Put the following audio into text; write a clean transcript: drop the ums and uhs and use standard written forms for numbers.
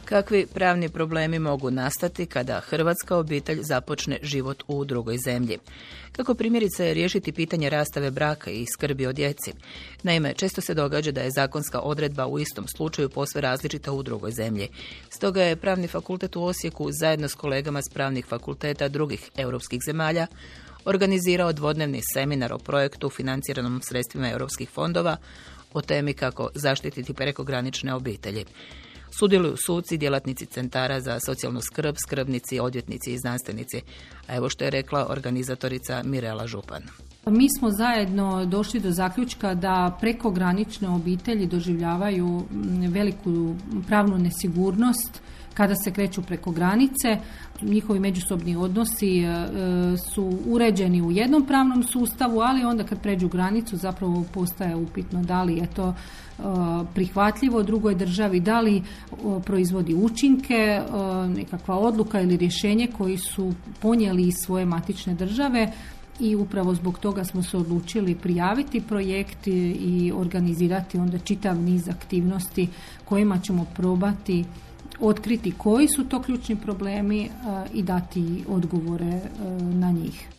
Kakvi pravni problemi mogu nastati kada hrvatska obitelj započne život u drugoj zemlji? Kako primjerice riješiti pitanje rastave braka i skrbi o djeci? Naime, često se događa da je zakonska odredba u istom slučaju posve različita u drugoj zemlji. Stoga je Pravni fakultet u Osijeku zajedno s kolegama s pravnih fakulteta drugih europskih zemalja organizirao dvodnevni seminar o projektu financiranom sredstvima europskih fondova o temi kako zaštititi prekogranične obitelji. Sudjeluju suci, djelatnici centara za socijalnu skrb, skrbnici, odvjetnici i znanstvenici. A evo što je rekla organizatorica Mirela Župan. Mi smo zajedno došli do zaključka da prekogranične obitelji doživljavaju veliku pravnu nesigurnost kada se kreću preko granice. Njihovi međusobni odnosi su uređeni u jednom pravnom sustavu, ali onda kad pređu granicu zapravo postaje upitno da li je to prihvatljivo drugoj državi, da li proizvodi učinke, nekakva odluka ili rješenje koji su ponijeli iz svoje matične države. I upravo zbog toga smo se odlučili prijaviti projekt i organizirati onda čitav niz aktivnosti kojima ćemo probati otkriti koji su to ključni problemi i dati odgovore na njih.